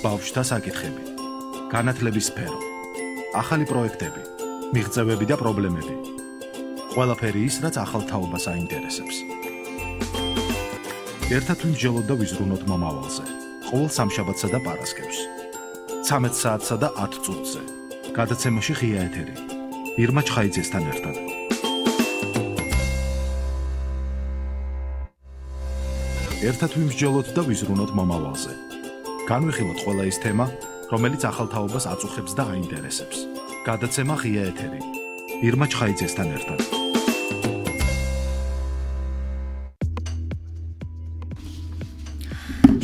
ბავშვთა საკითხები, განათლების სფერო, ახალი პროექტები, მიღწევები და პრობლემები. ყველაფერი ის, რაც ახალ თაობას აინტერესებს. ერთად ვიმსჯელოთ და ვიზრუნოთ მომავალზე. ყოველ სამშაბათსა და პარასკევს. 13 საათსა და 10 წუთზე. გადაცემაში ღია ეთერი. ირმა ჩხაიძესთან ერთად. ერთად ვიმსჯელოთ და ვიზრუნოთ მომავალზე. განვიხილოთ ყველა ის თემა, რომელიც ახალ თაობას აწუხებს და აინტერესებს. გადაცემა ღია ეთერი. ირმა ჩხაიძესთან ერთად.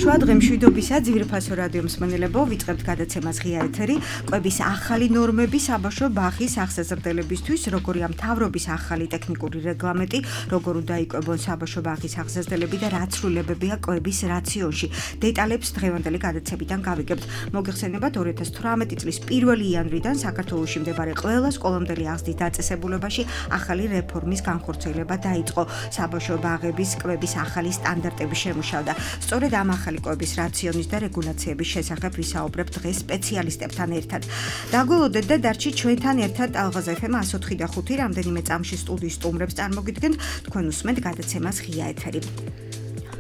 შუადღე მშვიდობისა ძვირფასო რადიო მსმენელებო, ვიწყებთ გადაცემას ღია ეთერი. კვების ახალი ნორმები საბავშვო ბაღის აღზრდელებისთვის, როგორი ამ მთავრობის ახალი ტექნიკური რეგლამენტი, როგორ უნდა იკვებონ საბავშვო ბაღის აღზრდელები და რა ცვლილებებია კვების რაციონში. დეტალებს დღევანდელი გადაცემიდან გავიგებთ. მოგეხსენებათ 2018 წლის 1 იანვრიდან საქართველოში მდებარე ყველა სკოლამდელი აღზრდის დაწესებულებაში ახალი რეფორმის განხორციელება დაიწყო. საბავშვო ბაღების კვების ახალი სტანდარტები შემუშავდა. სწორედ ამ ახალი კვების რაციონის და რეგულაციების შესახებ ვისაუბრებთ დღეს სპეციალისტებთან ერთად. დაგველოდეთ და დარჩით ჩვენთან ერთად ალღაზ FM 104 და 5 რამდენიმე წამში სტუდიის სტუმრებს წარმოგიდგენთ. თქვენ უსმენთ გადაცემას ღია ეთერი.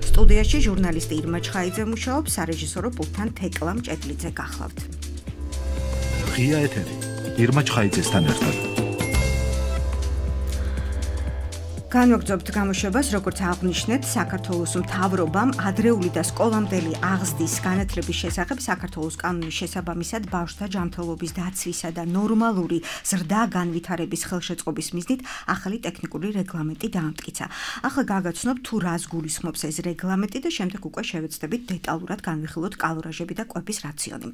სტუდიაში ჟურნალისტი ირმა ჩხაიძე მუშაობს, სარეჟისორო პულტთან თეკლა მჭედლიძე გახლავთ. ღია ეთერი. ირმა ჩხაიძესთან ერთად. განვაგრძობთ გამოშვებას, როგორც აღვნიშნეთ, საქართველოს მთავრობამ ადრეული და სკოლამდელი აღზრდის განათლების შესახებ საქართველოს კანონის შესაბამისად ბავშვთა ჯანმრთელობის დაცვისა და ნორმალური ზრდა განვითარების ხელშეწყობის მიზნით ახალი ტექნიკური რეგლამენტი დაამტკიცა. ახლა გაგაცნობთ თუ რას გულისხმობს ეს რეგლამენტი და შემდეგ უკვე შევეცდებით დეტალურად განვიხილოთ კალორაჟები და კვების რაციონი.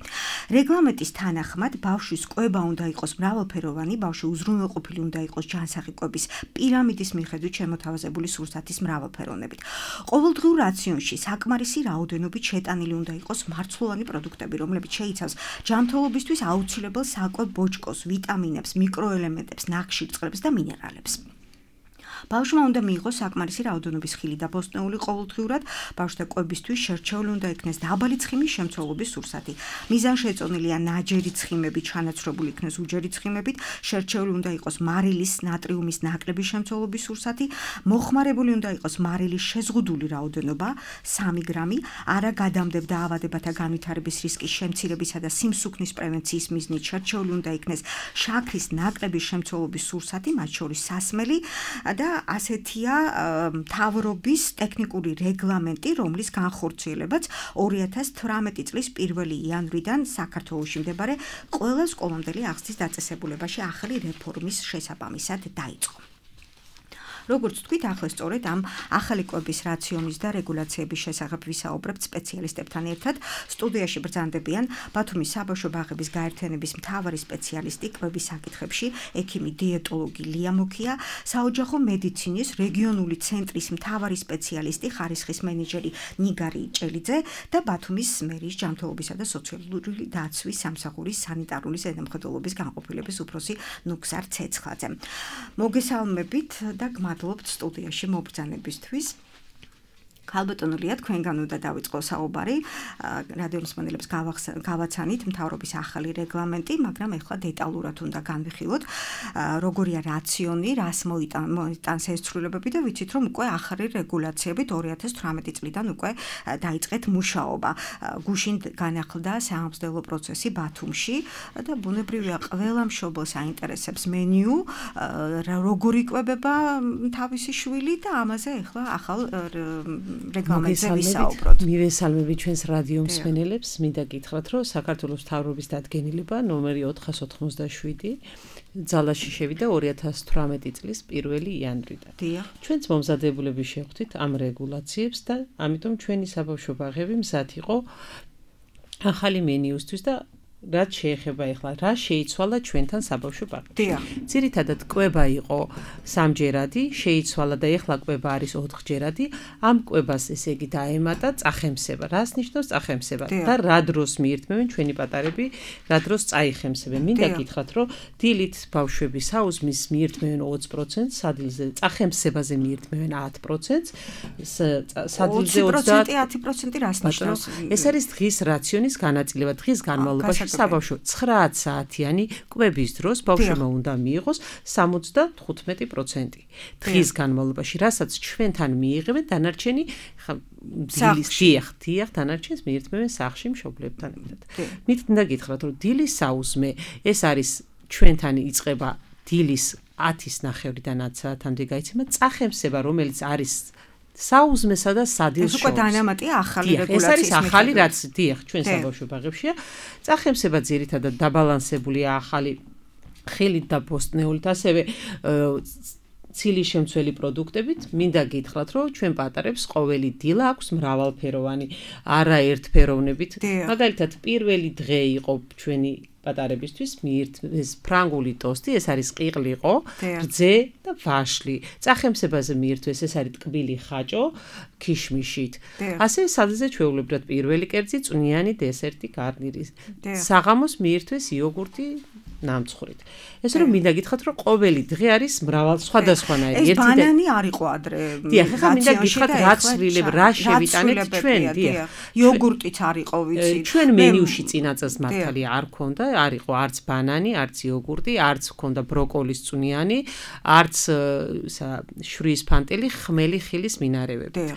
რეგლამენტის თანახმად ბავშვის კვება უნდა იყოს მრავალფეროვანი, ბავშვი უზრუნველყოფილი უნდა იყოს ჯანსაღი კვების პირამიდის მიხედვით შემოთავაზებული სურსათის მრავალფეროვნებით. ყოველდღიურ რაციონში საკმარისი რაოდენობით შეტანილი უნდა იყოს მარცვლოვანი პროდუქტები, რომლებიც შეიცავს ჯანმრთელობისთვის აუცილებელ საკვებ ბოჭკოს, ვიტამინებს, მიკროელემენტებს, ნახშირწყლებს და მინერალებს. ბავშვმა უნდა მიიღოს საკმარისი რაოდენობის ხილი და ბოსტნეული ყოველდღიურად. ბავშვთა კვებისთვის შერჩეული უნდა იქნეს დაბალი ცხიმის შემცველობის სურსათი. მიზანშეწონილია ნაჯერი ცხიმები, ჩანაცვლებული იქნეს უჯერი ცხიმებით. შერჩეული უნდა იყოს მარილის, ნატრიუმის ნაკლები შემცველობის სურსათი. მოხმარებული უნდა იყოს მარილის შეზღუდული რაოდენობა 3 გრამი. არა გადამდებდა ავადებათა განვითარების რისკის შემცირებისა და სიმსუქნის პრევენციის მიზნით შერჩეული უნდა იქნეს შაქრის ნაკლების შემცველობის სურსათი, მათ შორის სასმელი და ასეთია მთავრობის ტექნიკური რეგლამენტი, რომლის განხორციელებაც 2018 წლის 1 იანვრიდან საქართველოში მდებარე ყველა სკოლამდელი აღზრდის დაწესებულებაში ახალი რეფორმის შესაბამისად დაიწყო. როგორც თქვით, ახლა სწორედ ამ ახალი კვების რაციონის და რეგულაციების შესახებ ვისაუბრებთ სპეციალისტებთან ერთად. სტუდიაში ბრძანდებიან ბათუმის საბავშვო ბაღების გაერთიანების მთავარი სპეციალისტი კვების საკითხებში, ექიმი დიეტოლოგი ლია მუქია, საოჯახო მედიცინის რეგიონული ცენტრის მთავარი სპეციალისტი, ხარისხის მენეჯერი ნიგარი ჭელიძე და ბათუმის მერიის ჯანმრთელობისა და სოციალური დაცვის სამსახურის სანიტარული ზედამხედველობის განყოფილების უფროსი ნუგზარ ცეცხლაძე. მოგესალმებით და მადლობთ სტუდიაში მობრძანებისთვის. ქალბატონო ლია, თქვენგან უნდა დავიწყო საუბარი. რადიო მსმენელებს გავაცანით მთავრობის ახალი რეგლამენტი, მაგრამ ეხლა დეტალურად უნდა განვიხილოთ, როგორია რაციონი, რას მოიტანს ეს ცვლილებები და ვიცით, რომ უკვე ახალი რეგულაციებით 2018 წლიდან უკვე დაიწყეთ მუშაობა. გუშინ განახლდა საამსხლდელო პროცესი ბათუმში და ბუნებრივია ყველა მშობელს აინტერესებს მენიუ, როგორ იკვებება თავისი შვილი და ამაზე ეხლა ახალ რეგლამენტზე ვისაუბროთ. მივესალმებით ჩვენს რადიო მსმენელებს, მინდა გითხრათ, რომ საქართველოს მთავრობის დადგენილება ნომერი 497 ძალაში შევიდა 2018 წლის 1 იანვრიდან. ჩვენც მომზადებულები შევხვდით ამ რეგულაციებს და ამიტომ ჩვენი საბავშვო ბაღები მზად იყო ახალი მენიუსთვის და რაც შეეხება ეხლა რა შეიცვალა ჩვენთან საბავშვო ბაღებში. დიახ. ძირითადად კვება იყო სამჯერადი, შეიცვალა და ეხლა კვება არის 4ჯერადი. ამ კვებას ესე იგი დაემატა წახემსება. რას ნიშნავს წახემსება? და რა დროს მიირთმევენ ჩვენი პატარები, რა დროს წაიხემსებენ. მინდა გითხრათ, რომ დილით ბავშვები საუზმის მიირთმევენ 20%, სადილზე წახემსებაზე მიირთმევენ 10%, სადილზე 20% რას ნიშნავს? ეს არის დღის რაციონის განაწილება, დღის განმავლობაში საბავშვო 9 საათიანი კვების დროს ბავშვმა უნდა მიიღოს 75%. დღის განმავლობაში, რასაც ჩვენთან მიიღებენ, დანარჩენი დიახ, დანარჩენს მიირთმევენ სახლში მშობლებთან ერთად. მინდა გითხრათ, რომ დილის საუზმე ეს არის ჩვენთან იწყება დილის 10:30-დანაც საათამდე გაიცემა წახემსება, რომელიც არის საუზმესა და სადილს შორის. ეს უკვე დანამატია ახალი რეგულაციის. ეს არის ახალი რაც დიახ ჩვენ საბავშვო ბაღებშია. წახემსება ძირითადად დაბალანსებულია ახალი ხილით და ბოსტნეულით, ასევე ცილის შემცველი პროდუქტებით. მინდა გითხრათ, რომ ჩვენ პატარებს ყოველი დილა აქვს მრავალფეროვანი, არა ერთფეროვნებით. მაგალითად, პირველი დღე იყო ჩვენი პატარებისთვის მიირთმეს ფრანგული ტოსტი, ეს არის ყიყლიყო, რძე და ვაშლი. წახემსებაზე მიირთმეს ეს არის ტკბილი ხაჭო ქიშმიშით. ასე სადილზე ჩვეულებრივად პირველი კერძი, წვნიანი დესერტი, გარნირი. საღამოს მიირთმეს იოგურტი ნამცხრით. ეს რომ მინდა გითხრათ, რომ ყოველი დღე არის მრავალ სხვადასხვანაირი. ეს ბანანი არ იყო ადრე. დიახ, ახლა მინდა გითხრათ, რა ცვლილებ, რა შევიტანეთ ჩვენ, დიახ. იოგურტიც არ იყო, ვიცი. ჩვენ მენიუში წინაწელს მართალი არ ქონდა, არ იყო არც ბანანი, არც იოგურტი, არც ქონდა ბროკოლის წვნიანი, არც შვრიის ფანტელი, ხმელი ხილის მინარევები.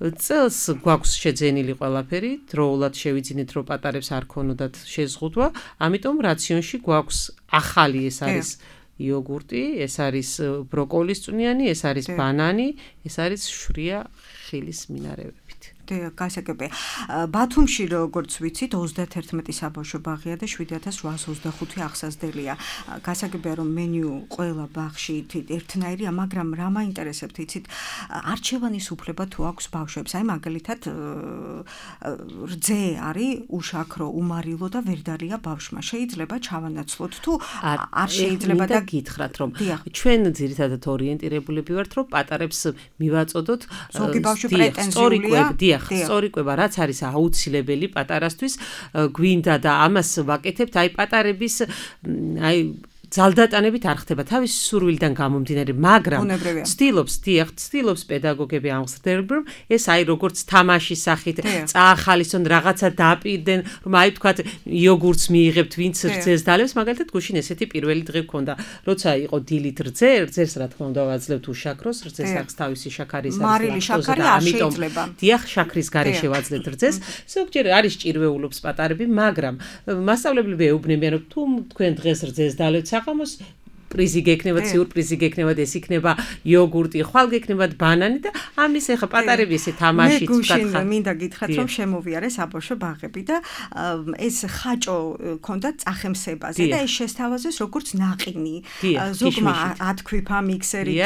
წელს გვაქვს შეძენილი ყველაფერი, დროულად შევიძინეთ, რომ პატარებს არ ქონოდათ შეზღუდვა, ამიტომ რაციონში გვაქვს ახალი, ეს არის იოგურტი, ეს არის ბროკოლის წვნიანი, ეს არის ბანანი, ეს არის შვრია ხილის მინარევებით. გასაგებია. ბათუმში როგორც ვიცით 31 საბავშვო ბაღია და 7825 აღსაზრდელია. გასაგებია რომ მენიუ ყველა ბაღში ერთნაირია, მაგრამ რა მაინტერესებთ, იცით, არჩევანის უფლება თუ აქვს ბავშვებს. აი მაგალითად რძე არის უშაქრო, უმარილო და ვერ დარია ბავშვმა. შეიძლება ჩავანაცვლოთ თუ არ შეიძლება და გითხრათ რომ ჩვენ ძირითადად ორიენტირებულები ვართ რომ პატარებს მივაწოდოთ ზოგი ბავშვი პრეტენზიულია. სწორი კვება, რაც არის აუცილებელი პატარასთვის, გვინდა და ამას ვაკეთებთ, აი პატარების აი ძალდატანებით არ ხდება თავის სურვილიდან გამომდინარე, მაგრამ ცდილობს პედაგოგები ამხსნელებ, რომ ეს აი როგორც თამაშის სახით წაახალისონ რაღაცა დაპირდნენ, რომ აი თქვათ იოგურტს მიიღებთ, ვინც რძეს დალევს, მაგალითად გუშინ ესეთი პირველი დღე გქონდა, როცა იყო დილით რძეს რა თქმა უნდა ვაძლევთ უშაქროს, რძეს აქვს თავისი შაქარის მარილი შაქარი არ შეიძლება. დიახ, შაქრის გარეშე ვაძლევთ რძეს, ზოგჯერ არის ჭირვეულობს პატარები, მაგრამ მასწავლებლები ეუბნებიან, რომ თუ თქვენ დღეს რძეს დალევთ საღამოს პრიზი გექნებათ, სიურპრიზი გექნებათ, ეს იქნება იოგურტი, ხვალ გექნებათ ბანანი და ამის ახლა პატარები ესე თამაშით ვთქვა. მე მინდა გითხრათ, რომ შემოვიარე საბავშვო ბაღები და ეს ხაჭო ქონდა წახემსებაზე და ეს შესთავაზეს როგორც ნაყინი. ზოგმა ათქვიფა მიქსერი,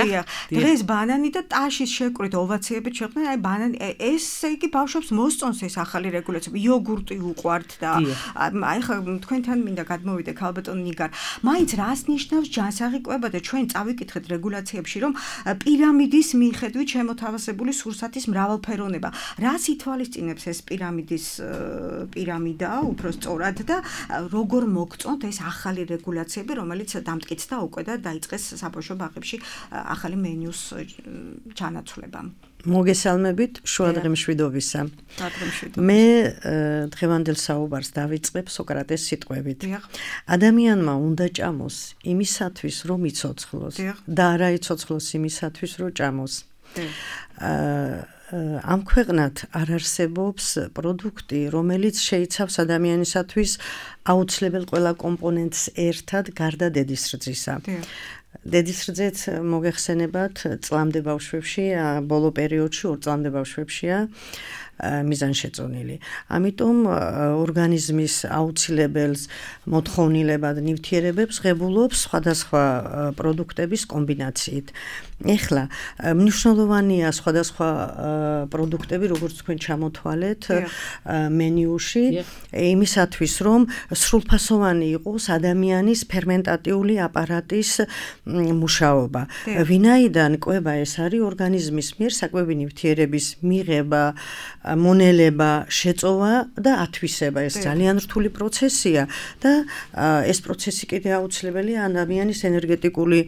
დღეს ბანანი და ტაშის შეკვრით ოვაციებით შეხვდნენ, აი ბანანი, ესე იგი ბავშვებს მოსწონს ეს ახალი რეგულაცია, იოგურტი უყვართ და აი ხა თქვენთან მინდა გადმოვიდე ქალბატონ ნიგარ. მაინც რას ნიშნავს საღიკვება და ჩვენ წავიკითხეთ რეგულაციებში, რომ პირამიდის მიხედვით შემოთავაზებული სურსათის მრავალფეროვნება. რას ითვალისწინებს ეს პირამიდა, უფრო სწორად და როგორ მოგწონთ ეს ახალი რეგულაციები, რომელიც დამტკიცდა უკვე და დაიწყეს საბავშვო ბაღებში ახალი მენიუს ჩანაცვლება. მოგესალმებით, შუადღე მშვიდობისა. მე დღევანდელ საუბარს დავიწყებ სოკრატეს სიტყვებით. ადამიანმა უნდა ჭამოს იმისათვის, რომ იცოცხლოს და არა იცოცხლოს იმისათვის, რომ ჭამოს. ამ ქვეყნად არ არსებობს პროდუქტი, რომელიც შეიცავს ადამიანისათვის აუცილებელ ყველა კომპონენტს ერთად გარდა დედის რძისა. დედის რძეც მოგეხსენებათ წლამდე ბავშვებში, ბოლო პერიოდში 2 წლამდე ბავშვებშია. მიზანშეწონილი. ამიტომ ორგანიზმის აუცილებელს მოთხოვნილებად ნივთიერებებს ღებულობს სხვადასხვა პროდუქტების კომბინაციით. ეხლა მნიშვნელოვანია სხვადასხვა პროდუქტები, როგორც თქვენ ჩამოთვალეთ მენიუში, იმისათვის, რომ სრულფასოვანი იყოს ადამიანის ფერმენტატიული აპარატის მუშაობა. ვინაიდან კვება ეს არის ორგანიზმის მიერ საკვები ნივთიერების მიღება, მონელება, შეწოვა და ათვისება. ეს ძალიან რთული პროცესია და ეს პროცესი კიდე აუცილებელია ადამიანის ენერგეტიკული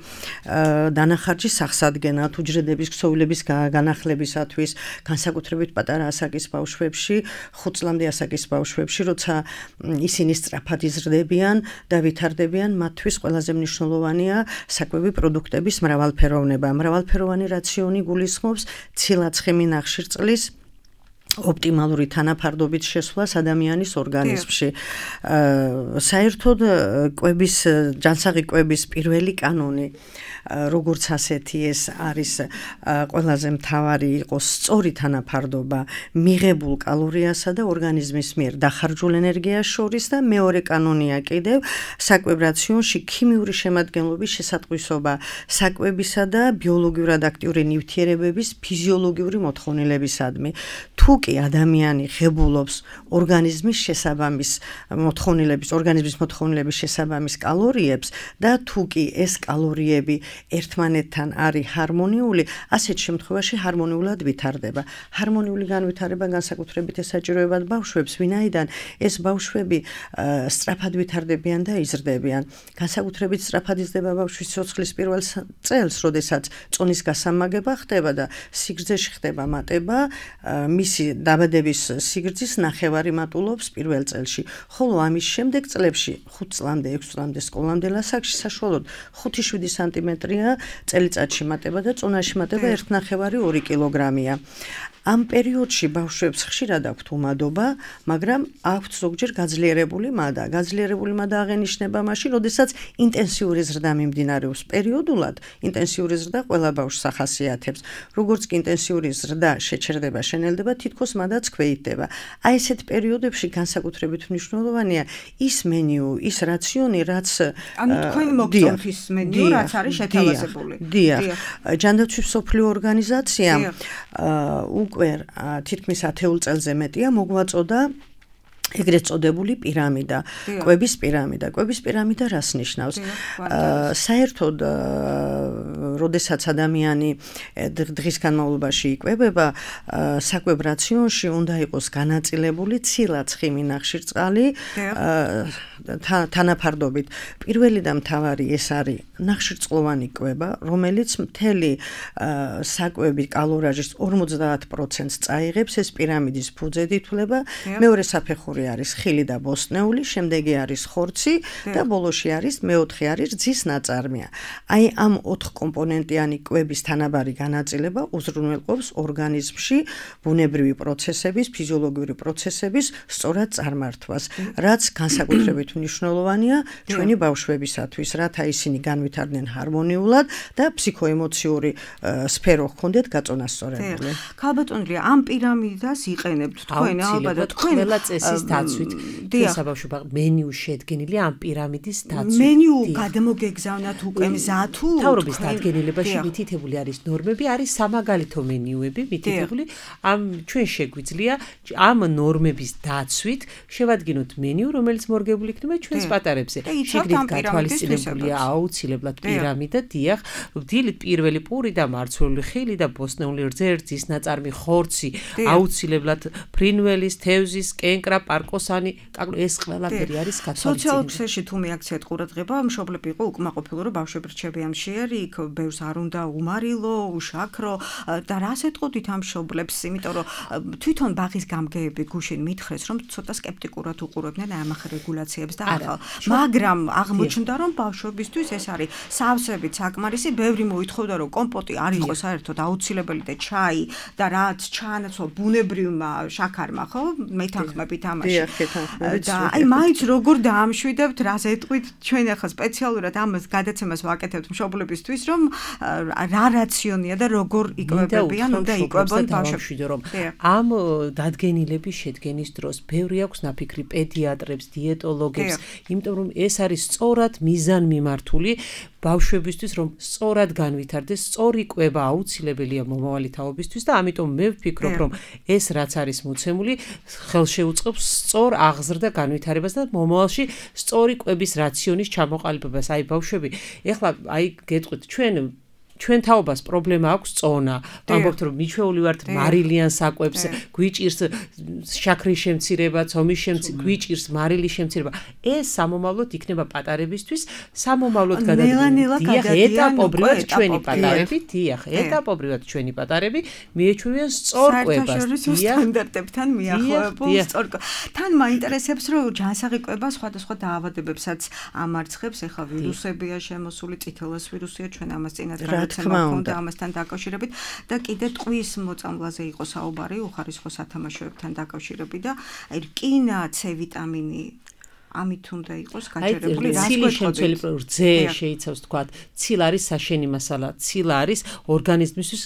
დანახარჯის აღსადგენად, უჯრედების ქსოვილების განახლებისათვის, განსაკუთრებით პატარა ასაკის ბავშვებში, 5 წლამდე ასაკის ბავშვებში, როცა ისინი სწრაფად იზრდებიან და ვითარდებიან, მათთვის ყველაზე მნიშვნელოვანია საკვები პროდუქტების მრავალფეროვნება. მრავალფეროვანი რაციონი გულისხმობს ცილა-ცხიმი ნახშირწყლის ოპტიმალური თანაფარდობით შესვლას ადამიანის ორგანიზმში. საერთოდ კვების, ჯანსაღი კვების პირველი კანონი, როგორც ასეთი ეს არის ყველაზე მთავარი იყოს სწორი თანაფარდობა მიღებულ კალორიასა და ორგანიზმის მიერ დახარჯულ ენერგიას შორის და მეორე კანონია კიდევ საკვებ რაციონში ქიმიური შემადგენლობის შესატყვისობა საკვებისა და ბიოლოგიურად აქტიური ნივთიერებების ფიზიოლოგიური მოთხოვნილებისადმი. თუ კი ადამიანი ღებულობს ორგანიზმის შესაბამის შესაბამის კალორიებს და თუ კი ეს კალორიები ერთმანეთთან არის ჰარმონიული, ასეთ შემთხვევაში ჰარმონიულად ვითარდება. ჰარმონიული განვითარება განსაკუთრებით ესაჭიროებად ბავშვებს, ვინაიდან ეს ბავშვები სწრაფად ვითარდებიან და იზრდებიან. განსაკუთრებით სწრაფად იზრდება ბავშვის სიცოცხლის პირველ წელს, როდესაც წონის გასამაგება ხდება და სიგრძეში ხდება მატება, მისი დაბადების სიგრძის ნახევარი მატულობს პირველ წელში, ხოლო ამის შემდეგ წლებში 5 წლამდე, 6 წლამდე სკოლამდელ ასაკში საშუალოდ 5-7 სანტიმეტრია წელიწადში მატება და წონაში მატება 1,5-2 კილოგრამია. ამ პერიოდში ბავშვებს ხშირად აქვთ უმადობა, მაგრამ აქვთ ზოგჯერ გაძლიერებული მადა. გაძლიერებული მადა აღენიშნება მაშინ, როდესაც ინტენსიური ზრდა მიმდინარეობს. პერიოდულად ინტენსიური ზრდა ყველა ბავშვს ახასიათებს. როგორც კი ინტენსიური ზრდა შეჩერდება, შენელდება, თითქოს მადაც ქვეითდება. აი ესეთ პერიოდებში განსაკუთრებით მნიშვნელოვანია ის მენიუ, ის რაციონი, რაც თქვენ მოგწონთ ის მენიუ, რაც არის შეთავაზებული. დიახ. ჯანდაცვის მსოფლიო ორგანიზაციამ უკვე თითქმის 10 წელზე მეტია მოგვაწოდა ეგრეთ წოდებული პირამიდა, კვების პირამიდა. კვების პირამიდა რას ნიშნავს? საერთოდ, როდესაც ადამიანი დღის განმავლობაში იკვებება, საკვებ რაციონში უნდა იყოს განაწილებული ცილა-ცხიმი ნახშირწყალი თანაფარდობით. პირველი და მთავარი ეს არის ნახშირწყლოვანი კვება, რომელიც მთელი საკვების კალორიაჟის 50%-ს წაიღებს, ეს პირამიდის ფუძედ ითვლება. მეორე საფეხური არის ხილი და ბოსტნეული, შემდეგი არის ხორცი და ბოლოში არის მეოთხე არის რძის ნაწარმია. აი ამ 4 კომპონენტიანი კვების თანაბარი განაწილება უზრუნველყოფს ორგანიზმში ბუნებრივი პროცესების, ფიზიოლოგიური პროცესების სწორად წარმართვას, რაც განსაკუთრებით მნიშვნელოვანია ჩვენი ბავშვებისათვის, რათა ისინი განვითარდნენ ჰარმონიულად და ფსიქოემოციური სფერო ჰქონდეთ გაწონასწორებული. ქალბატონია, ამ პირამიდას იყენებთ თქვენ ალბათ თქვენ ყველა წესის დაცვით შესაბავშვო მენიუ შედგენილია ამ პირამიდის დაცვით. მენიუ გადმოგეგზავნათ უკვე მზა თუ თავრობის დადგენილებაში მითითებული არის ნორმები, არის სამაგალითო მენიუები მითითებული. ამ ჩვენ შეგვიძლია ამ ნორმების დაცვით შევადგინოთ მენიუ, რომელიც მორგებული იქნება ჩვენს პატარებზე. შეგდით გათვალისწინებულია აუცილებლად პირამიდა, დიახ, დილით პირველი პური და მარცვლეული ხილი და ბოსტნეული რძის ნაწარმი, ხორცი, აუცილებლად ფრინველის, თევზის, კენკრა, პარკოსანი, ეს ყველაფერი არის გათვალისწინებული. სოციალურ ქსელში თუ მიაქციათ ყურადღება, მშობლები იყო უკმაყოფილო, რომ ბავშვები რჩებიან მშიერი, იქ ბევრს არ უნდა უმარილო, უშაქრო და რას ეტყოდით ამ მშობლებს, იმიტომ რომ თვითონ ბაღის გამგეები გუშინ მითხრეს, რომ ცოტა სკეპტიკურად უყურებდნენ ამ რეგულაციებს და ახალ, მაგრამ აღმოჩნდა, რომ ბავშვებისთვის ეს არის სავსებით საკმარისი, ბევრი მოითხოვდა, რომ კომპოტი არ იყოს საერთოდ აუცილებელი და ჩაი და რაც ჩაანაცვლა ბუნებრივმა შაქარმა, ხო? მეთანხმებით ამაში. და აი მაინც როგორ დაამშვიდებთ, რას ეტყვით ჩვენ ახლა სპეციალურად ამას გადაცემას ვაკეთებთ მშობლებისთვის, რომ რა რაციონია და როგორ იკვებებიან, უნდა იკვებონ ბავშვები. რომ ამ დადგენილების შედგენის დროს ბევრი აქვს ნაფიქრი პედიატრებს, დიეტოლოგებს, იმიტომ რომ ეს არის სწორად მიზანმიმართული ბავშვებისთვის, რომ სწორად განვითარდეს, სწორი კვება აუცილებელია მომავალი თაობისთვის და ამიტომ მე ვფიქრობ, რომ ეს რაც არის მოცემული, ხელშეუწყობს სწორ აღზრდა განვითარებას და მომავალში სწორი კვების რაციონის ჩამოყალიბებას. აი ბავშვები, ეხლა აი გეტყვით, ჩვენ თაობას პრობლემა აქვს წონა. ვამბობთ რომ მიჩვეული ვართ მარილიან საკვებს, გვიჭირს შაქრის შემცირება, ცომის შემცირება, გვიჭირს მარილის შემცირება. ეს სამომავლოდ იქნება პატარებისთვის, სამომავლოდ გადადგმულია ეტაპობრივად ჩვენი პატარები, ეტაპობრივად ჩვენი პატარები მიეჩვევიან სწორ კვებას. სტანდარტებთან მიახლოებულ სწორ. თან მაინტერესებს რომ ჯანსაღი კვება სხვადასხვა დაავადებებსაც ამარცხებს, ეხლა ვირუსებია შემოსული, წითელას ვირუსია, ჩვენ ამას წინათ და ამასთან დაკავშირებით და კიდე ტყვის მოწამვლაზე იყო საუბარი უხარისხო სათამაშოებთან დაკავშირებით და აი რკინა, C ვიტამინი ამით უნდა იყოს გაჯერებული რა შემცველი რძე შეიცავს თქვათ ცილა არის საშენი მასალა ცილა არის ორგანიზმისთვის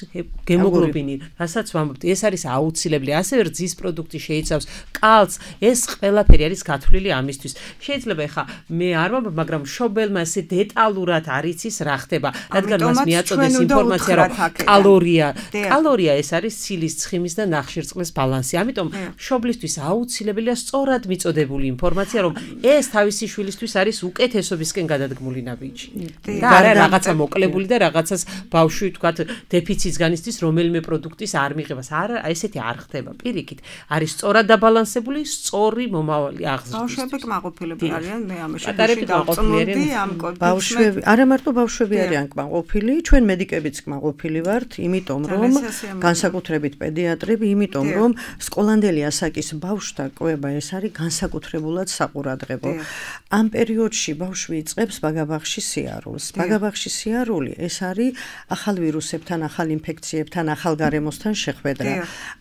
გემოგლობინი რასაც ვამბობთ ეს არის აუცილებელი ასევე რძის პროდუქტი შეიცავს კალცს ეს ყველაფერი არის გათვლილი ამისთვის შეიძლება ეხა მე არ ვამბობ მაგრამ მშობელმა ესე დეტალურად არ იცის რა ხდება რადგან მას მიაწოდეს ინფორმაცია რომ კალორია ეს არის ცილის ცხიმის და ნახშირწყლის ბალანსი ამიტომ მშობლისთვის აუცილებელია სწორად მიწოდებული ინფორმაცია რომ ეს თავისი შვილისთვის არის უკეთესობისკენ გადადგმული ნაბიჯი. და არა რაღაცა მოკლებული და რაღაცას ბავშვი თქვათ დეფიციტს განიცდის რომელიმე პროდუქტის არ მიღებას. არა, ესეთი არ ხდება. პირიქით, არის სწორად დაბალანსებული, სწორი მომავალი აღზრდის. ბავშვები კმაყოფილები არიან, მე ამაში დავწმუნდი ამ ბავშვები, არა მარტო ბავშვები არიან კმაყოფილი, ჩვენ მედიკებიც კმაყოფილი ვართ, იმიტომ რომ განსაკუთრებით პედიატრები, იმიტომ რომ სკოლამდელი ასაკის ბავშვთა კვება ეს არის განსაკუთრებულად საყურადღებო. ამ პერიოდში ბავშვი იწყებს ბაგაბაღში სიარულს. ბაგაბაღში სიარული ეს არის ახალ ვირუსებთან, ახალ ინფექციებთან, ახალ გარემოსთან შეხვედრა.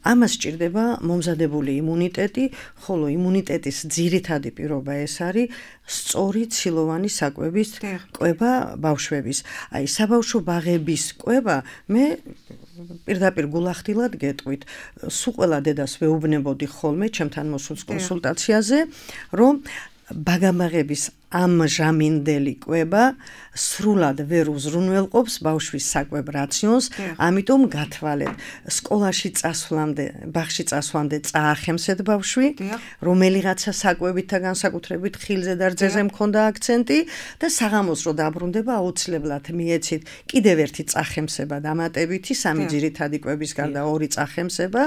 ამას სჭირდება მომზადებული იმუნიტეტი, ხოლო იმუნიტეტის ძირითადი პირობა ეს არის სწორი ცილოვანი საკვების კვება ბავშვების. აი საბავშვო ბაღების კვება მე პირდაპირ გულახდილად გეტყვით. სულ ყველა დედას ვეუბნებოდი ხოლმე ჩემთან მოსულ კონსულტაციაზე, რომ ბაგაბაღების ამჟამინდელი კვება სრულად ვერ უზრუნველყოფს ბავშვის საკვებ რაციონს, ამიტომ გათვალეთ. სკოლაში წასვლამდე, ბაღში წასვლამდე წაახემსეთ ბავშვი, რომელიღაცა საკვებით და განსაკუთრებით ხილზე და რძეზე მქონდა აქცენტი და საღამოს რო დაბრუნდება აუცილებლად მიეცით კიდევ ერთი წახემსება დამატებითი, სამი ძირითადი კვების გარდა ორი წახემსება,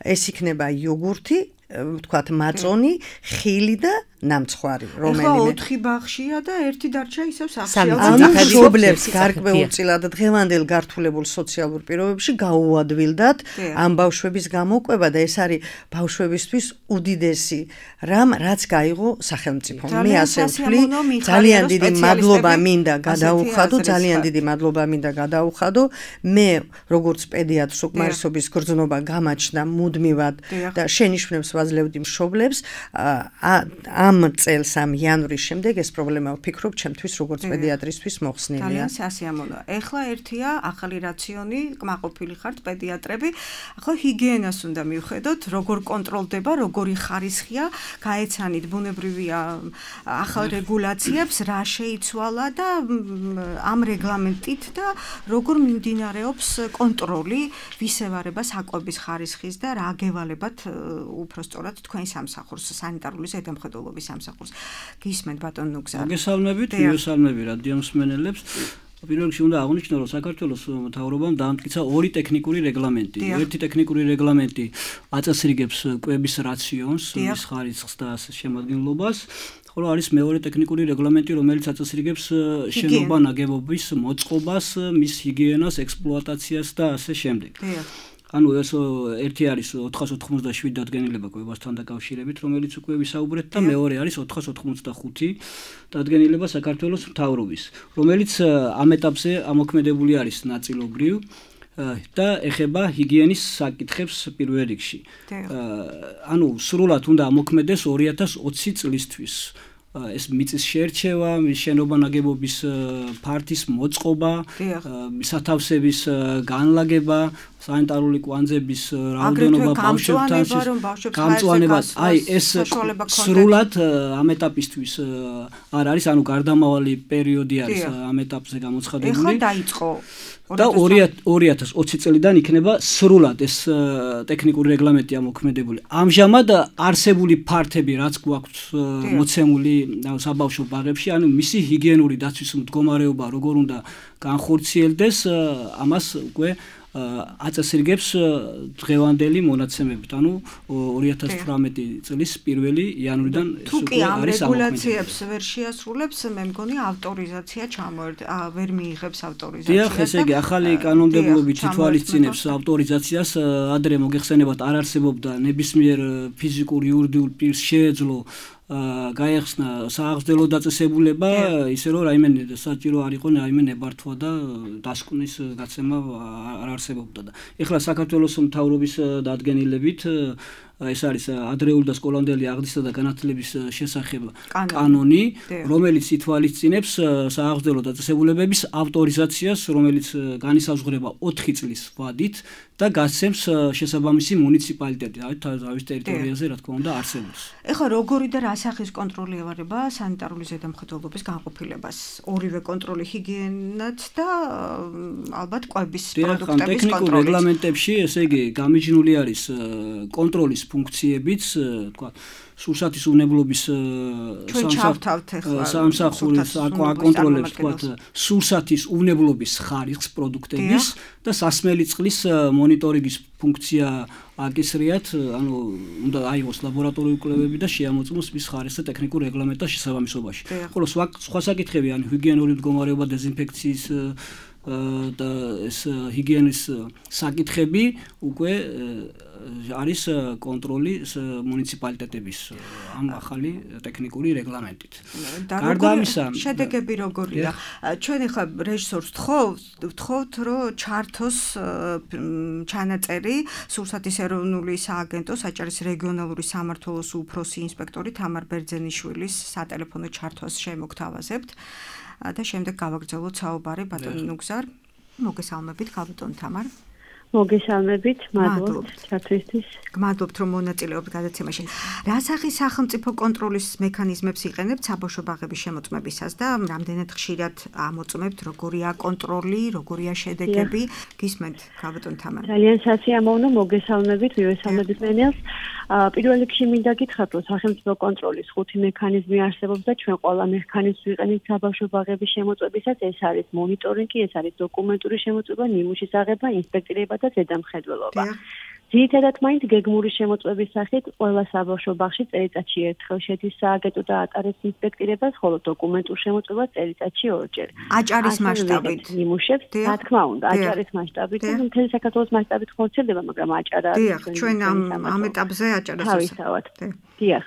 ეს იქნება იოგურთი, ვთქვათ მაწონი, ხილი და ნამცხვარი, რომელიმე. ეხლა 4 ბაღშია და ერთი დარჩა ისევ სახლში. ამ მშობლებს გარკვეულწილად დღევანდელ გართულებულ სოციალურ პირობებში გაუადვილდათ ამ ბავშვების გამოკვება და ეს არის ბავშვებისთვის უდიდესი რამ, რაც გაიღო სახელმწიფომ. მე ასე ვთვლი, ძალიან დიდი მადლობა მინდა გადაუხადო, ძალიან დიდი მადლობა მინდა გადაუხადო. მე როგორც პედიატრს უკმარისობის გრძნობა გამაჩნდა მუდმივად და შენიშვნებს ვაძლევდი მშობლებს ამ წელს ამ იანვრის შემდეგ ეს პრობლემა ვფიქრობ ჩემთვის როგორც პედიატრისთვის მოხსნილია. ძალიან სასიამოვნო. ეხლა ერთია ახალი რაციონი, კმაყოფილი ხართ პედიატრები. ახლა ჰიგიენას უნდა მივხედოთ, როგორ კონტროლდება, როგორი ხარისხია, გაეცანით ბუნებრივია ახალ რეგულაციებს, რა შეიცვალა და ამ რეგლამენტით და როგორ მიმდინარეობს კონტროლი ვისევარება საკვების ხარისხის და რა გევალებათ უფრო სწორად თქვენ სამსახურს, სანიტარული ზედამხედველობის სამსახურს. გისმენთ ბატონ ნუგზა. მოგესალმებით, მივესალმები რადიო მსმენელებს. პირველ რიგში უნდა აღვნიშნო, რომ საქართველოს მთავრობამ დაამტკიცა ორი ტექნიკური რეგლამენტი. ერთი ტექნიკური რეგლამენტი აწესრიგებს კვების რაციონს, მის ხარისხს და შემადგენლობას. ხოლო არის მეორე ტექნიკური რეგლამენტი, რომელიც აწესრიგებს შენობა ნაგებობის მოწყობას, მის ჰიგიენას, ექსპლუატაციას და ასე შემდეგ. ანუ ეს ერთი არის 487 დადგენილება კვებასთან დაკავშირებით, რომელიც უკვე ვისაუბრეთ და მეორე არის 485 დადგენილება საქართველოს მთავრობის, რომელიც ამ ეტაპზე ამოქმედებული არის ნაწილობრივ და ეხება ჰიგიენის საკითხებს პირველ რიგში. ანუ სრულად უნდა ამოქმედეს 2020 წლისთვის. ეს მიწის შერჩევა, შენობა ნაგებობის ფართის მოწყობა, სათავსების განლაგება, სანიტარული კვანძების რაოდენობა ბავშვებთან გამწვანება, აი ეს სრულად ამ ეტაპისთვის არ არის, ანუ გარდამავალი პერიოდი არის ამ ეტაპზე გამოცხადებული. ეხლა დაიწყო და 2020 წლიდან იქნება სრულად ეს ტექნიკური რეგლამენტი ამოქმედებული. ამჟამად არსებული ფართები, რაც გვაქვს მოცემული საბავშვო ბაღებში, ანუ მისი ჰიგიენური დაცვის მდგომარეობა როგორ უნდა განხორციელდეს, ამას უკვე აწესრიგებს დღევანდელი მონაცემებით, ანუ 2018 წლის 1 იანვრიდან ეს უკვე არის ამოქმედებული. რეგულაციებს ვერ შეასრულებს, მე მგონი ავტორიზაცია ვერ მიიღებს ავტორიზაციას. დიახ, ესე იგი, ახალი კანონმდებლობით ითვალისწინებს ავტორიზაციას, ადრე მოგეხსენებათ, არ არსებობდა ნებისმიერ ფიზიკურ იურიდიულ პირს შეეძლო გაეხსნა სააღრდელო დაწესებულება, ისე რომ რაიმე საჭირო არ იყო რაიმე ნებართვა და დასკვნის გაცემა არ არსებობდა და ეხლა საქართველოს მთავრობის დადგენილებით ეს არის ადრეული და სკოლამდელი აღზრდისა და განათლების შესახებ კანონი, რომელიც ითვალისწინებს სააღრდელო დაწესებულებების ავტორიზაციას, რომელიც განისაზღვრება 4 წლის ვადით და გასცემს შესაბამისი მუნიციპალიტეტი, თავის ტერიტორიაზე, რა თქმა უნდა, არსებობს. ეხლა როგორი და რა სახის კონტროლი ევარება სანიტარული ზედამხედველობის განყოფილებას? ორივე კონტროლი, ჰიგიენაც და ალბათ კვების პროდუქტების კონტროლი. ტექნიკურ რეგლამენტებში, ესე იგი, გამიჯნული არის კონტროლის ფუნქციებიც, თქვა, სურსათის უნებლობის სამსახურის აკონტროლებს, თქვა, სურსათის უნებლობის ხარისხს პროდუქტების და სასმელი წყლის მონიტორინგის ფუნქცია აკისრიათ, ანუ უნდა აიღოს ლაბორატორიული კვლევები და შეამოწმოს მის ხარისხს ტექნიკურ რეგლამენტთან შესაბამისობაში. ხოლო სხვა საკითხები, ანუ ჰიგიენური მდგომარეობა, დეზინფექციის და ეს ჰიგიენის საკითხები უკვე არის კონტროლი მუნიციპალიტეტების ამ ახალი ტექნიკური რეგლამენტით. გარდა ამისა, შედეგები როგორია? ჩვენ ახლა რეჟისორს ვთხოვთ, რომ ჩართოს ჩანაწერი სურსათის ეროვნული სააგენტო საჭარის რეგიონალური სამმართველოს უფროსი ინსპექტორი თამარ ბერძენიშვილის სატელეფონო ჩართვას შემოგთავაზებთ. და შემდეგ გავაგრძელოთ საუბარი ბატონ ნუგზარ. მოგესალმებით, გაბატონ თამარ. მოგესალმებით, მადლობთ ჩართვისთვის. გმადლობთ, რომ მონაწილეობთ გადაცემაში. რა სახის სახელმწიფო კონტროლის მექანიზმებს იყენებთ საბავშვო ბაღების შემოწმებისას და რამდენად ხშირად ამოწმებთ, როგორია კონტროლი, როგორია შედეგები? გისმენთ, გაბატონ თამარ. ძალიან სასიამოვნო, მოგესალმებით, მივესალმებით მენელს. პირველ რიგში მინდა გითხრათ, რომ სახელმწიფო კონტროლის 5 მექანიზმი არსებობს და ჩვენ ყველა მექანიზმს ვიყენებთ საბავშვო ბაღების შემოწმებისას. ეს არის მონიტორინგი, ეს არის დოკუმენტური შემოწმება, ნიმუშის აღება, ინსპექტირება და ზედამხედველობა. ძირითადად მაინც გეგმური შემოწმების სახით ყველა საბავშვო ბაღში წელიწადში ერთხელ შედის სააგენტო და ატარებს ინსპექტირებას, ხოლო დოკუმენტურ შემოწმებას წელიწადში 2 ჯერ. აჭარის მასშტაბით ნიმუშებს, რა თქმა უნდა, აჭარის მასშტაბით, მთელი საქართველოს მასშტაბით ხორციელდება, მაგრამ აჭარა დიახ, ჩვენ ამ ეტაპზე აჭარას თავისთავად. დიახ.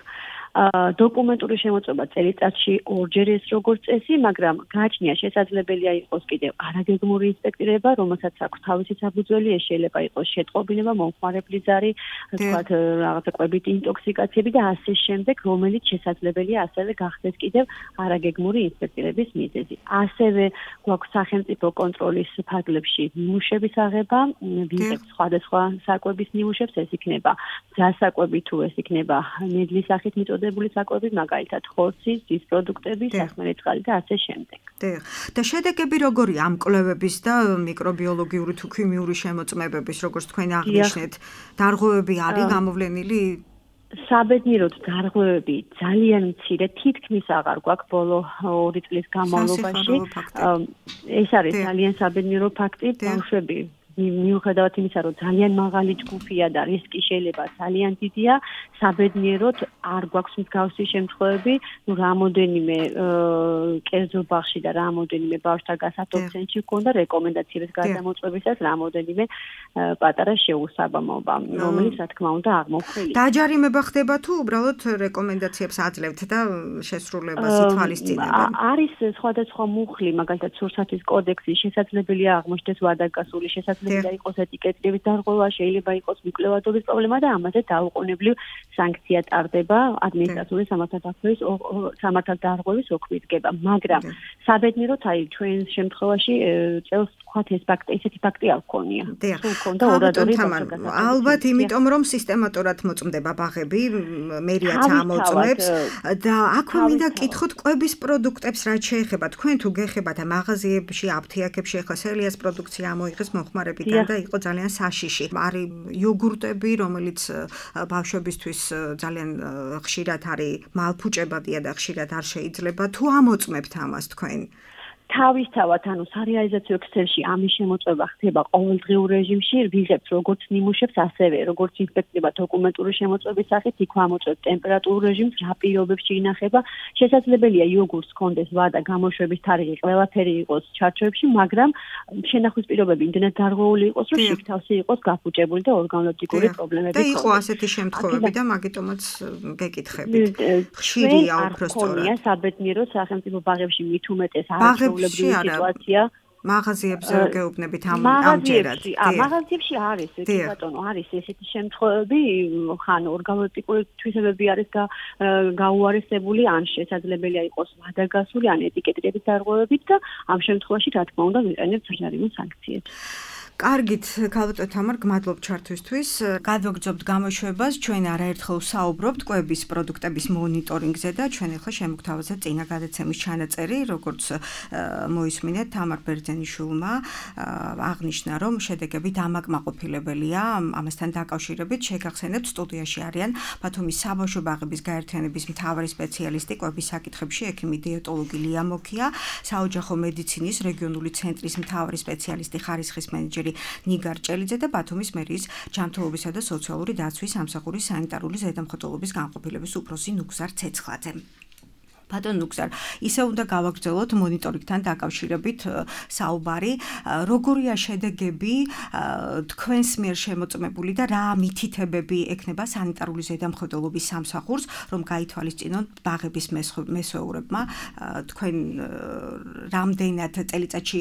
დოკუმენტური შემოწმება წელიწადში 2 ჯერ ეს როგორც წესი, მაგრამ გააჩნია შესაძლებელია იყოს კიდევ არაგეგმური ინსპექტირება, რომელსაც აქვს თავისი საფუძველი, ეს შეიძლება იყოს შეტყობინება, მომხმარებლის ზარი, თქვათ რაღაცა კვებით ინტოქსიკაციები და ასე შემდეგ, რომელიც შესაძლებელია ასევე გახდეს კიდევ არაგეგმური ინსპექტირების მიზეზი. ასევე გვაქვს სახელმწიფო კონტროლის ფარგლებში ნიმუშების აღება, ვიღებთ სხვადასხვა საკვების ნიმუშებს, ეს იქნება ძასაკვები თუ ეს იქნება ნედლის სახით მიწოდებული საკვები, მაგალითად ხორცის, ძის პროდუქტები, სასმელი წყალი და ასე შემდეგ. და შედეგები როგორია ამ კვლევების და მიკრობიოლოგიური თუ ქიმიური შემოწმებების, როგორც თქვენ აღნიშნეთ, დარღვევები არის გამოვლენილი? საბედნიეროდ დარღვევები ძალიან მცირე, თითქმის აღარ გვაქვს ბოლო 2 წლის განმავლობაში. ეს არის ძალიან საბედნიერო ფაქტი, ბავშვები მიუხედავად იმისა, რომ ძალიან მაღალი ჯგუფია და რისკი შეიძლება ძალიან დიდია, საბედნიეროდ არ გვაქვს მსგავსი შემთხვევები, რამოდენიმე კერძო ბაღში და რამოდენიმე ბავშვთან გასართობ ცენტრში გქონდა რეკომენდაციების გადამოწმებისას რამოდენიმე პატარა შეუსაბამობა, რომელიც რა თქმა უნდა აღმოხილდა. დაჯარიმება ხდება თუ უბრალოდ რეკომენდაციებს აძლევთ და შესრულებას ითვალისწინებენ? არის სხვადასხვა მუხლი, მაგალითად სურსათის კოდექსი, შესაძლებელია აღმოჩნდეს ვადაგასული, შესაძლებელია შეიძლება იყოს ეტიკეტების დარღვევა, შეიძლება იყოს მიკვლევადობის პრობლემა და ამაზე დაუყოვნებლივ სანქცია ტარდება ადმინისტრაციული სამართალდარღვევის ოქმიდგება, მაგრამ საბედნიეროდ აი ჩვენ შემთხვევაში წელს თქვათ ეს ფაქტი, ესეთი ფაქტი არ გქონია. თუ მქონდა ორადორი ალბათ იმიტომ რომ სისტემატურად მოწმდება ბაღები, მერიაც ამოწმებს და აქვე მინდა კითხოთ კვების პროდუქტებს რაც შეეხება თქვენ თუ გეხებათ მაღაზიებში, აფთიაქებში ახლა სელიას პროდუქცია ამოიღეს მომხმარებიდან და იყო ძალიან საშიში. არის იოგურტები, რომელიც ბავშვებისთვის ძალიან ხშირად არის მალფუჭებადია და ხშირად არ შეიძლება. თუ ამოწმებთ ამას თქვენ? თავისთავად, ანუ სარეალიზაციო ექსელში ამის შემოწმება ხდება ყოველდღიურ რეჟიმში, ვიღებთ როგორც ნიმუშებს, ასევე როგორც ინსპექტება დოკუმენტური შემოწმების სახით, იქ ამოწმებთ ტემპერატურულ რეჟიმს, რა პირობებში ინახება. შესაძლებელია იოგურტს ჰქონდეს ვადა, გამოშვების თარიღი, ყველაფერი იყოს ჩარჩოებში, მაგრამ შენახვის პირობები იმდენად დარღვეული იყოს, რომ შიგთავსი იყოს გაფუჭებული და ორგანოლექტიკური პრობლემები და იყო ასეთი შემთხვევები და მაგიტომაც გეკითხებით. ხშირია უფრო სწორად. ხონია საბედნიეროდ სახელმწიფო ბაღებში მით უმეტეს არის სიტუაცია მაღაზიებზე გეუბნებით ამჯერად. მაღაზიებში არის, ბატონო, არის ესეთი შემთხვევები, ხან ორგანოლექტიკური თვისებები არის გაუარესებული, ან შესაძლებელია იყოს ვადაგასული, ან ეტიკეტების დარღვევებით და ამ შემთხვევაში რა თქმა უნდა ვიყენებთ საჯარიმო სანქციებს. კარგით, ქალბატონ თამარ, გმადლობთ ჩართვისთვის. გადვაგრძობთ გამოშვებას, ჩვენ არაერთხელ ვსაუბრობთ კვების პროდუქტების მონიტორინგზე და ჩვენ ახლა შემოგთავაზეთ წინა გადაცემის ჩანაწერი, როგორც მოისმინეთ თამარ ბერძენიშვილმა აღნიშნა, რომ შედეგები დამაკმაყოფილებელია. ამასთან დაკავშირებით შეგახსენებთ სტუდიაში არიან ბათუმის საბავშვო ბაღების გაერთიანების მთავარი სპეციალისტი კვების საკითხებში ექიმი დიეტოლოგი ლია მოკია, საოჯახო მედიცინის რეგიონული ცენტრის მთავარი სპეციალისტი ხარისხის მენეჯერი ნიგარ ჭელიძე და ბათუმის მერიის ჯანმრთელობისა და სოციალური დაცვის სამსახურის სანიტარული ზედამხედველობის განყოფილების უფროსი ნუგზარ ცეცხლაძე. ბატონ ნუგზარ, ისე უნდა გავაგრძელოთ მონიტორინგთან დაკავშირებით საუბარი, როგორია შედეგები თქვენს მიერ შემოწმებული და რა მითითებები ექნება სანიტარული ზედამხედველობის სამსახურს, რომ გაითვალისწინონ ბაღების მესვეურებმა, თქვენ რამდენად წელიწადში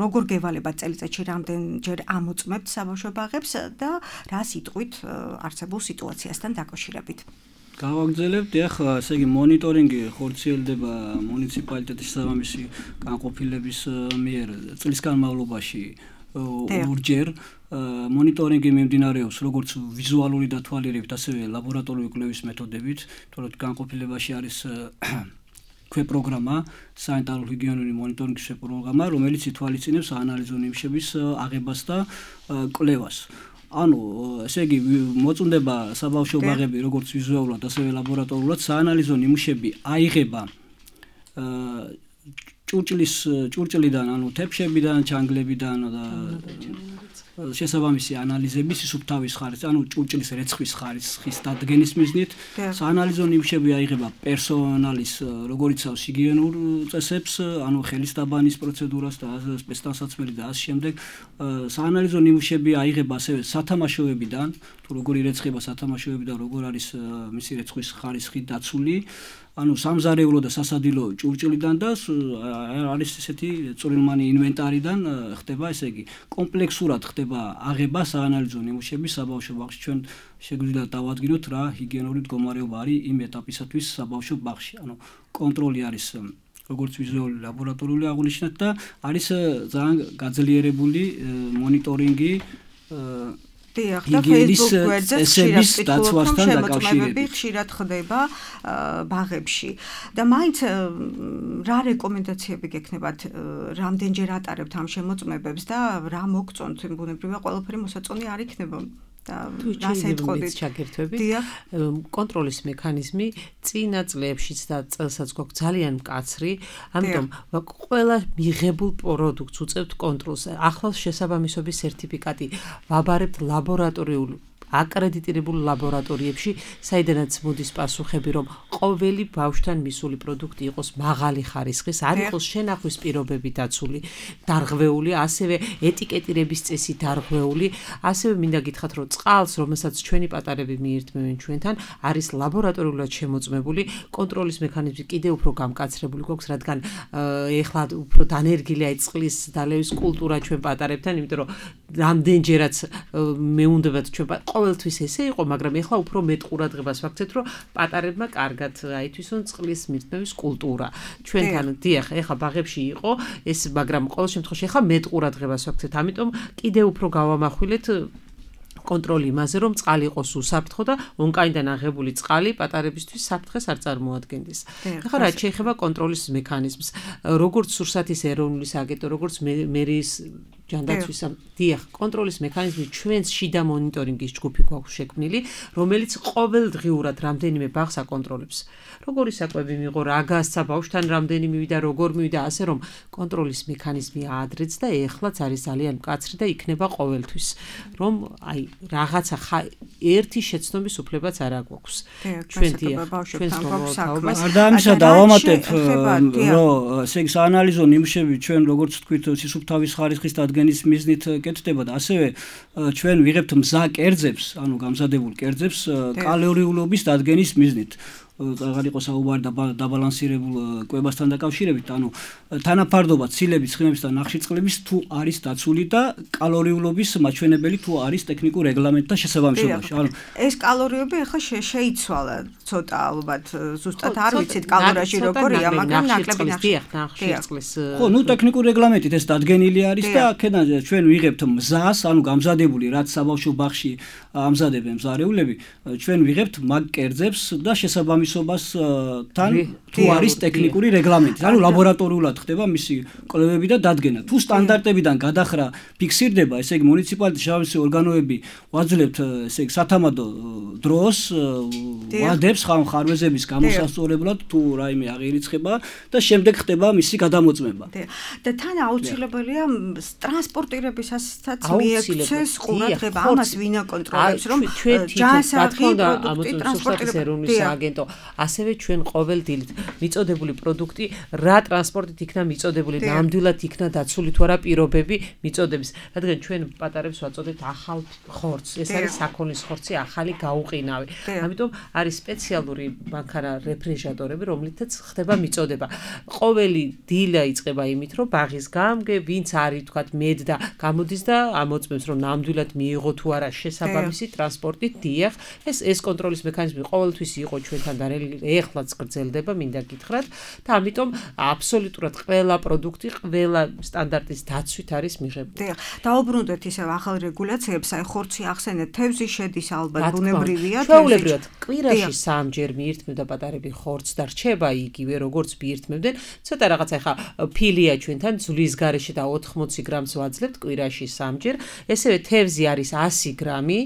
როგორ გევალებათ წელიწადში რამდენჯერ ამოწმებთ საბავშვო ბაღებს და რა სიტყვით არსებულ სიტუაციასთან დაკავშირებით. გავაგრძელებთ, ახლა ესე იგი მონიტორინგი ხორციელდება მუნიციპალიტეტის შესაბამისი განყოფილების მიერ წლის განმავლობაში ორჯერ. მონიტორინგი მიმდინარეობს როგორც ვიზუალური დათვალიერებით, ასევე ლაბორატორიული კვლევის მეთოდებით, თორემ განყოფილებაში არის ქვეპროგრამა, სანიტარულ-ჰიგიენური მონიტორინგის პროგრამა, რომელიც ითვალისწინებს საანალიზო ნიმუშების აღებას და კვლევას. ანუ ესე იგი მოწმდება საბავშვო ბაღები როგორც ვიზუალურად, ასევე ლაბორატორულად საანალიზო ნიმუშები აიღება ჭურჭლიდან, ანუ თეფშებიდან, ჩანგლებიდან და შესაბამისი ანალიზების სუბთავის ხარისხის, ანუ ჭურჭლის რეცხვის ხარისხის დადგენის მიზნით საანალიზო ნიმუშები აიღება პერსონალის, როგორც იცავს ჰიგიენურ წესებს, ანუ ხელის დაბანის პროცედურას და სპეცდანსაცმელი და ასე შემდეგ. საანალიზო ნიმუშები აიღება ასევე სათამაშოებიდან, თუ როგორი რეცხება სათამაშოები და როგორ არის მისი რეცხვის ხარისხი დაცული. ანუ სამზარეულო და სასადილო ჭურჭლიდან და არის ესეთი წვრილმანი ინვენტარიდან ხდება, ესე იგი კომპლექსურად ხდება აღება საანალიზო ნიმუშების საბავშვო ბაღში. ჩვენ შეგვიძლია დავადგინოთ რა ჰიგიენური მდგომარეობა არის იმ ეტაპისათვის საბავშვო ბაღში. ანუ კონტროლი არის როგორც ვიზუალური ლაბორატორიული აღნიშნეთ და არის ძალიან გაძლიერებული მონიტორინგი დიახ, და Facebook გვერდზე შემოწმებები ხშირად ხდება ბაღებში. და მაინც რა რეკომენდაციები გექნებათ, რამდენჯერ ატარებთ ამ შემოწმებებს და რა მოგწონთ, ბუნებრივია ყველაფერი მოსაწონი არ იქნება. და შეიძლება ჩაგერთვებით კონტროლის მექანიზმი წინა წლებშიც და წელსაც გვაქვს ძალიან მკაცრი, ამიტომ ყველა მიღებულ პროდუქტს უწევთ კონტროლს. ახალ შესაბამისობის სერტიფიკატი ვაბარებთ ლაბორატორიულ აკრედიტირებულ ლაბორატორიებში, საიდანაც მოდის პასუხები, რომ ყოველი ბავშვთან მისული პროდუქტი იყოს მაღალი ხარისხის, არ იყოს შენახვის პირობები დაცული, დარღვეული, ასევე ეტიკეტირების წესი დარღვეული, ასევე მინდა გითხრათ, რომ წყალს, რომელსაც ჩვენი პატარები მიირთმევენ ჩვენთან, არის ლაბორატორიულად შემოწმებული, კონტროლის მექანიზმი კიდევ უფრო გამკაცრებული გვაქვს, რადგან ეხლა უფრო დანერგილია წყლის დალევის კულტურა ჩვენ პატარებთან, იმიტომ რომ რამდენჯერაც მეუნდებათ ჩვენ ყოველთვის ესე იყო, მაგრამ ეხლა უფრო მეტ ყურადღებას ვაქცევთ, რომ პატარებმა კარგად აითვისონ წყლის მირთმევის კულტურა. ჩვენთან დიახ, ეხლა ბაღებში იყო ეს, მაგრამ ყოველ შემთხვევაში ეხლა მეტ ყურადღებას ვაქცევთ, ამიტომ კიდევ უფრო გავამახვილეთ კონტროლი იმაზე, რომ წყალი იყოს უსაფრთხო და ონკაიდან აღებული წყალი პატარებისთვის საფრთხეს არ წარმოადგენდეს. ეხლა რაც შეეხება კონტროლის მექანიზმს, როგორც სურსათის ეროვნული სააგენტო, როგორც მერიის ჯანდაცვის დიახ, კონტროლის მექანიზმი ჩვენს შიდა მონიტორინგის ჯგუფი გვაქვს შექმნილი, რომელიც ყოველდღიურად რამდენიმე ბაღს აკონტროლებს. როგორი საკვები მიიღო, რა გასცა, ბავშვთან რამდენი მივიდა, როგორ მივიდა, ასე რომ კონტროლის მექანიზმი აადრեց და ეხლაც არის ძალიან მკაცრი და იქნება ყოველთვის, რომ აი რაღაცა ერთი შეცნობის უფლებაც არ აგვაქვს. ჩვენ დიახ, ჩვენს მოვალეობას არ დაამისა დავამატებ, რომ ესე იგი საანალიზო ნიმუშები ჩვენ როგორც თქვით სისუფთავის ხარისხის დადგენის მიზნით კეთდება და ასევე ჩვენ ვიღებთ მზა კერძებს, ანუ გამზადებულ კერძებს კალორიულობის დადგენის მიზნით. აღარ იყოს საუბარი დაბალანსირებულ კვებასთან დაკავშირებით, ანუ თანაფარდობა ცილების, ცხიმების და ნახშირწყლების თუ არის დაცული და კალორიულობის მაჩვენებელი თუ არის ტექნიკურ რეგლამენტთან შესაბამისობაში. ანუ ეს კალორიები ახლა შეიცვალა ცოტა ალბათ, ზუსტად არ ვიცით კალორიაში როგორია, მაგრამ ნაკლები ნახშირწყლის. ხო, ნუ ტექნიკურ რეგლამენტით ეს დადგენილი არის და აქედან ჩვენ ვიღებთ მზას, ანუ გამზადებული, რაც საბავშვო ბაღში ამზადებენ მზარეულები, ჩვენ ვიღებთ მაგ კერძებს და შესაბამისობასთან თუ არის ტექნიკური რეგლამენტი, ანუ ლაბორატორიულად ხდება მისი კვლევები და დადგენა. თუ სტანდარტებიდან გადახრა ფიქსირდება, ესე იგი მუნიციპალიტეტის შესაბამისი ორგანოები ვაძლევთ, ესე იგი სათამადო დროს ვადებს ხარვეზების გამოსასწორებლად თუ რაიმე აღირიცხება და შემდეგ ხდება მისი გადამოწმება. და თან აუცილებელია ტრანსპორტირებისასაც მიექცეს ყურადღება, ამას ვინ აკონტროლებს, რომ ჯანსაღი პროდუქტი ტრანსპორტირება სააგენტო, ასევე ჩვენ ყოველ დილით მიწოდებული პროდუქტი რა ტრანსპორტით იქნა მიწოდებული, ნამდვილად იქნა დაცული თუ არა პირობები მიწოდების, რადგან ჩვენ პატარებს ვაწოდებთ ახალ ხორცს, ეს არის საქონლის ხორცი, ახალი გაუყინავი. ამიტომ არის სპეციალური მანქანა რეფრიჟერატორები, რომლითაც ხდება მიწოდება. ყოველი დილა იწყება იმით, რომ ბაღის გამგე, ვინც არის თქვათ მედ და გამოდის და ამოწმებს, რომ ნამდვილად მიიღო თუ არა შესაბამისი ტრანსპორტი, დიახ, ეს კონტროლის მექანიზმი ყოველთვის იყო ჩვენთან და ეხლაც გრძელდება, მინდა გითხრათ და ამიტომ აბსოლუტურად ყველა პროდუქტი, ყველა სტანდარტის დაცვით არის მიღებული. დაუბრუნდეთ ისევ ახალ რეგულაციებს, აი ხორცი ახსენეთ, თევზი შედის ალბათ, ბუნებრივია, ჩვეულებრივად კვირაში 3 ჯერ მიირთმევდა პატარები ხორცს და რჩება იგივე როგორც მიირთმევდნენ. ცოტა რაღაცა ახლა ფილია ჩვენთან ძვლის გარეშე და 80 გრამს ვაძლევთ კვირაში 3 ჯერ. ესევე თევზი არის 100 გრამი.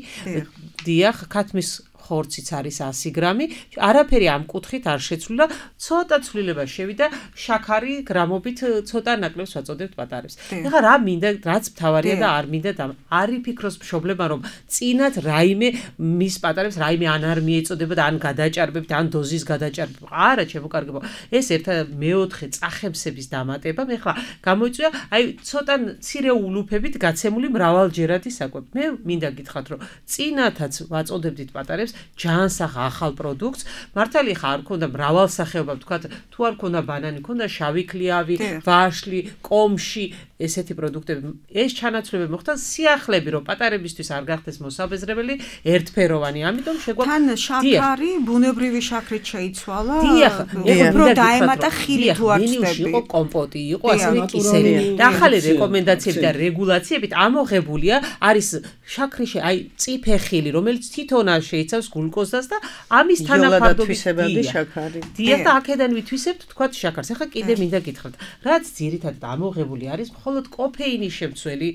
დიახ, ქათმის ხორციც არის 100 გრამი, არაფერი ამ კუთხით არ შეცვლილა, ცოტა ცვლილება შევიდა, შაქარი გრამობით ცოტა ნაკლებს ვაწოდებთ პატარებს. ეხლა რა მინდა, რაც მთავარია და არ მინდა და არ იფიქროს მშობლებმა, რომ წინათ რაიმე მის პატარებს რაიმე ან არ მიეწოდება და ან გადაჭარბებთ, ან დოზის გადაჭარბება. არა, ჩემო კარგებო, ეს ერთ მეოთხე წახემსების დამატება, ეხლა გამოიწვია, აი ცოტა მცირე ულუფებით გაცემული მრავალჯერადი საკვები. მე მინდა გითხრათ, რომ წინათაც ვაწოდებდით პატარებს ჯანსაღ ახალ პროდუქტს, მართალია ხარ ქონდა მრავალსახეობა, თქვათ, თუ არ ქონდა ბანანი, ქონდა შავი ქლიავი, ვაშლი, კომში, ესეთი პროდუქტები. ეს ჩანაცვლები მოხდა სიახლები, რომ პატარებისთვის არ გახდეს მოსაბეზრებელი, ერთფეროვანი, ამიტომ შეგვაქვს თან შაქარი, ბუნებრივი შაქრით შეიცვალა. დიახ, უფრო დაემატა ხილი თუ არ ჩნდები. იყო კომპოტი, იყო ასევე კისერი. და ახალი რეკომენდაციები და რეგულაციებით ამოღებულია არის შაქრი, აი წიფე ხილი, რომელიც თვითონ არ შეიცავს გლუკოზას და ამის თანაფარდობისებადი შაქარი. დიახ, და აქედან ვითვისებთ თქვათ შაქარს. ახლა კიდე მინდა გითხრათ, რაც ძირითადად ამოღებული არის მხოლოდ კოფეინის შემცველი.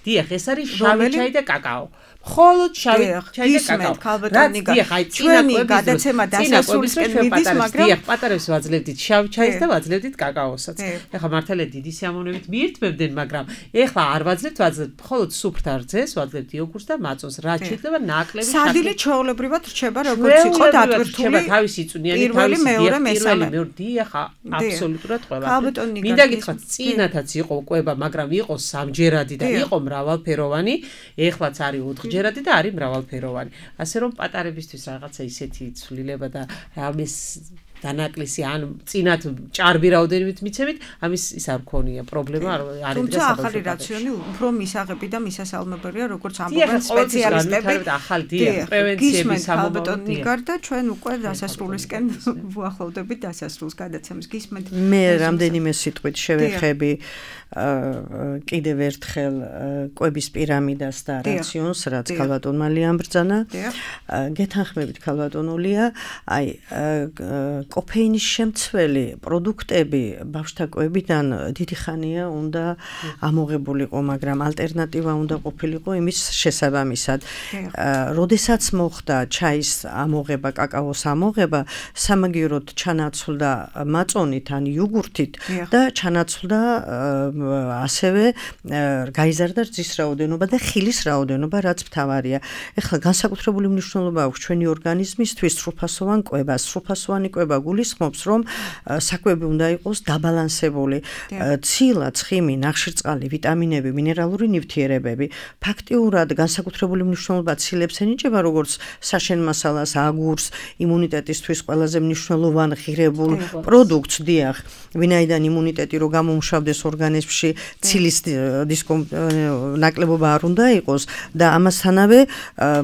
დიახ, ეს არის შავი ჩაი და კაკაო. მხოლოდ შავი ჩაი და კაკაო. ჩვენი გადაცემა დასასრულისკენ მიდის, მაგრამ დიახ, პატარებს ვაძლევდით შავ ჩაის და ვაძლევდით კაკაოსაც. ეხლა მართალია დიდი სიამოვნებით მიირთმევდნენ, მაგრამ ეხლა არ ვაძლევთ მხოლოდ სუფრთ არძეს, ვაძლევთ იოგურტს და მაწონს. რაც შეიძლება ნაკლები სადილე ჩვეულებრივად რჩება როგორც იყო დატვირთული თავისი წვნიანი თავისი მეორე მესამე დიახ, აბსოლუტურად ყველა. მინდა გითხრათ, წინათაც იყო კვება, მაგრამ იყო სამჯერადი და იყო მრავალფეროვანი, ეხლაც არის 4ჯერადი და არის მრავალფეროვანი. ასე რომ პატარებისთვის რაღაცა ისეთი ცვლილება და ამის დანაკლისი ან წინათ ჭარბი რაოდენობით მიცემით, ამის ის არ გქონია პრობლემა არ არის. თუმცა ახალი რაციონი უფრო მისაღები და მისასალმებელია, როგორც ამბობენ სპეციალისტები. პრევენციების სამომავლოდ და ჩვენ უკვე დასასრულისკენ ვუახლოვდებით დასასრულს გადაცემის. გისმენთ? მე რამდენიმე სიტყვით შევეხები კიდევ ერთხელ კვების პირამიდას და რაციონს, რაც ქალბატონმა ლიამბრძანა. გეთანხმებით ქალბატონულია, აი კოფეინის შემცველი პროდუქტები ბავშვთა კვებიდან დიდი ხანია უნდა ამოღებულიყო, მაგრამ ალტერნატივა უნდა ყოფილიყო იმის შესაბამისად. როდესაც მოხდა ჩაის ამოღება, კაკაოს ამოღება, სამაგიეროდ ჩანაცვლდა მაწონით ან იოგურთით და ჩანაცვლდა ასევე გაიზარდა რძის რაოდენობა და ხილის რაოდენობა, რაც მთავარია. ეხლა განსაკუთრებული მნიშვნელობა აქვს ჩვენი ორგანიზმისთვის სრულფასოვან კვებას. სრულფასოვანი კვება გულისხმობს, რომ საკვები უნდა იყოს დაბალანსებული. ცილა, ცხიმი, ნახშირწყალი, ვიტამინები, მინერალური ნივთიერებები. ფაქტიურად განსაკუთრებული მნიშვნელობა ცილებს ენიჭება, როგორც საშენ მასალას, აგურს, იმუნიტეტისთვის ყველაზე მნიშვნელოვან ღირებულ პროდუქტს, დიახ, ვინაიდან იმუნიტეტი რო გამომშავდეს ორგანიზმში, ცილის ნაკლებობა არ უნდა იყოს და ამასთანავე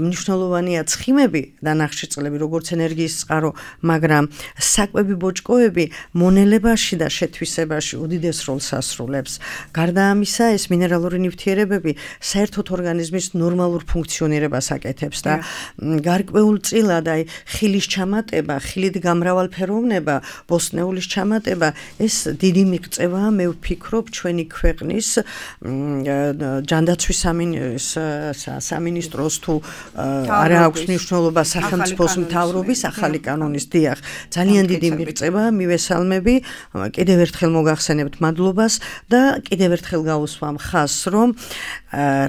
მნიშვნელოვანია ცხიმები და ნახშირწყლები, როგორც ენერგიის წყარო, მაგრამ საკვები ბოჭკოები მონელებაში და შეთვისებაში უდიდეს როლს ასრულებს. გარდა ამისა, ეს მინერალური ნივთიერებები საერთოდ ორგანიზმის ნორმალურ ფუნქციონირებას აკეთებს და გარკვეულწილად აი ხილის ჩამატება, ხილით გამრავალფეროვნება, ბოსტნეულის ჩამატება, ეს დიდი მიღწევაა, მე ვფიქრობ, ჩვენი ქვეყნის ჯანდაცვის სამინისტროს თუ არა აქვს მნიშვნელობა სახელმწიფოს მთავრობის ახალი კანონის დიახ. ძალიან დიდი მიღწევაა, მივესალმები, კიდევ ერთხელ მოგახსენებთ მადლობას და კიდევ ერთხელ გავუსვამ ხაზს, რომ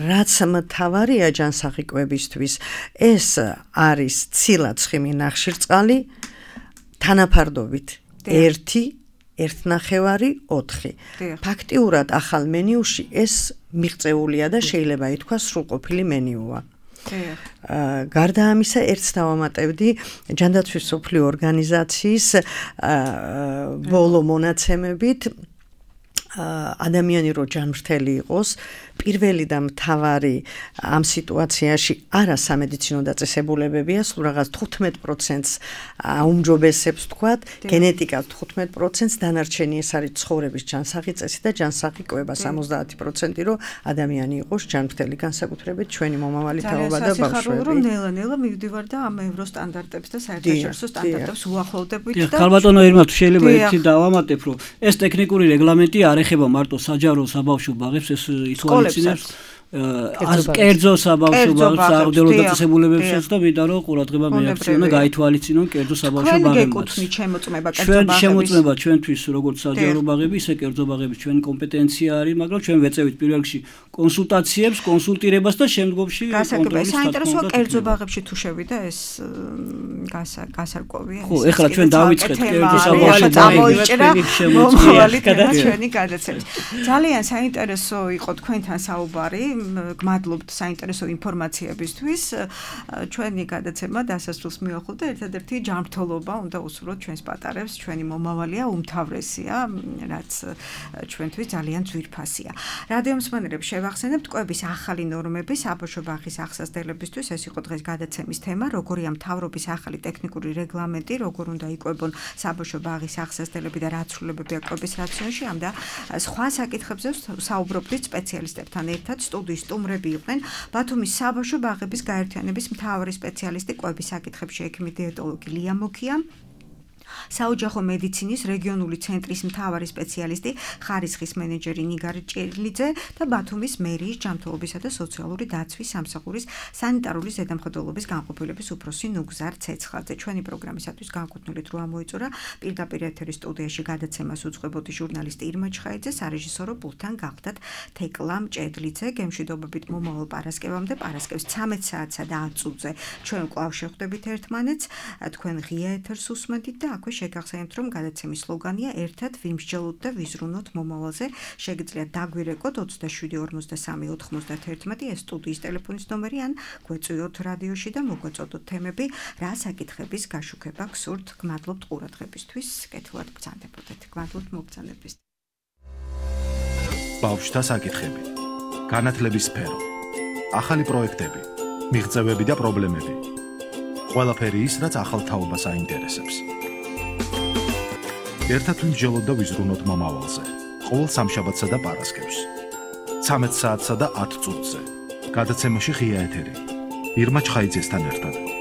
რაც მთავარია ჯანსაღი კვებისთვის, ეს არის ცილა, ცხიმი, ნახშირწყალი თანაფარდობით 1 1.5 ფაქტიურად ახალ მენიუში ეს მიღწეულია და შეიძლება ითქვას სრულყოფილი მენიუა. გარდა ამისა, ერთს დავამატებდი ჯანდაცვის მსოფლიო ორგანიზაციის ბოლო მონაცემებით, ადამიანი რო ჯანმრთელი იყოს, პირველი და მთავარი ამ სიტუაციაში არა სამედიცინო დაწესებულებებია, სულ რაღაც 15%-ს აუმჯობესებს თქვათ, გენეტიკა 15%-ს, დანარჩენი ეს არის ცხოვრების ჯანსაღი წესი და ჯანსაღი კვება 70% რო ადამიანი იყოს ჯანმრთელი, განსაკუთრებით ჩვენი მომავალი თაობა და ბავშვები. რომ ნელა-ნელა მივდივარ და ამ ევროსტანდარტებს და საერთაშორისო სტანდარტებს უახლოვდებით და ქალბატონო ირმა, შეიძლება ერთი დავამატებ, რომ ეს ტექნიკური რეგლამენტი არ ეხება მარტო საჯარო საბავშვო ბაღებს, ეს ითვალისწინებს კერძო საბავშვო ბაღებს, საავადმყოფო დაწესებულებებსაც და მინდა რომ ყურადღება მიაქციონ და გაითვალისწინონ კერძო საბავშვო ბაღებსაც. ჩვენ შემოწმება ჩვენთვის როგორც საჯარო ბაღები, ისე კერძო ბაღები ჩვენი კომპეტენცია არის, მაგრამ ჩვენ ვეწევით პირველ რიგში კონსულტაციებს, კონსულტირებას და შემდგომში კონტროლის. საინტერესოა კერძო ბაღებში თუ შევიდა ეს გასარკვევია. ხო, ეხლა ჩვენ დავიწყეთ კერძო საბავშვო ბაღებში ჩვენი გადაცემის. ძალიან საინტერესო იყო თქვენთან საუბარი. გმადლობთ საინტერესო ინფორმაციებისთვის. ჩვენი გადაცემა დასასრულს მიუახლოვდა, ერთადერთი ჯანმრთელობა უნდა უსურვოთ ჩვენს პატარებს, ჩვენი მომავალია უმთავრესია, რაც ჩვენთვის ძალიან ძვირფასია. რადიო მსმენელებს შევახსენებთ კვების ახალი ნორმები საბავშვო ბაღის აღსაზრდელებისთვის. ეს იყო დღეს გადაცემის თემა, როგორია მთავრობის ახალი ტექნიკური რეგლამენტი, როგორ უნდა იკვებონ საბავშვო ბაღის აღსაზრდელები და რა ცვლილებებია კვების რაციონში. ამ და სხვა საკითხებზე საუბრობდით სპეციალისტებთან ერთად. სტუდიის სტუმრები იყვნენ ბათუმის საბავშვო ბაღების გაერთიანების მთავარი სპეციალისტი კვების საკითხებში ექიმი დიეტოლოგი ლია მუქია, საოჯახო მედიცინის რეგიონული ცენტრის მთავარი სპეციალისტი, ხარისხის მენეჯერი ნიგარ ჭერლიძე და ბათუმის მერიის ჯანმრთელობისა და სოციალური დაცვის სამსახურის სანიტარული ზედამხედველობის განყოფილების უფროსი ნუგზარ ცეცხლაძე. ჩვენი პროგრამისათვის განკუთვნილ დრო ამოიწურა პირდაპირ ეთერის სტუდიაში გადაცემას უძღვებოდი ჟურნალისტი ირმა ჩხაიძე, სარეჟისორო პულტთან გახდათ თეკლა მჭედლიძე. გემშვიდობებით მომავალ პარასკევამდე, პარასკევს 13 საათსა და 10 წუთზე ჩვენ კვლავ შევხვდებით ერთმანეთს, თქვენ ღია ეთერს უსმენთ და აქვე შეგახსენებთ, რომ გადაცემის სლოგანია ერთად ვიმსჯელოთ და ვიზრუნოთ მომავალზე. შეგიძლიათ დაგვირეკოთ 27-93-91 ეს სტუდიის ტელეფონის ნომერი ან გვეწვიოთ რადიოში და მოგვეწოდოთ თემები, რა საკითხების გაშუქება გსურთ. გმადლობთ ყურადღებისთვის, კეთილად ბრძანდებოდეთ. გმადლობთ მოგზაურობისთვის. ბავშვთა საკითხები, განათლების სფერო, ახალი პროექტები, მიღწევები და პრობლემები. ყველაფერი ის, რაც ახალ თაობას აინტერესებს. ერთად ვიმსჯელოთ და ვიზრუნოთ მომავალზე. ყოველ სამშაბათსა და პარასკევს 13 საათსა და 10 წუთზე. გადაცემაში ღია ეთერი. ირმა ჩხაიძესთან ერთად.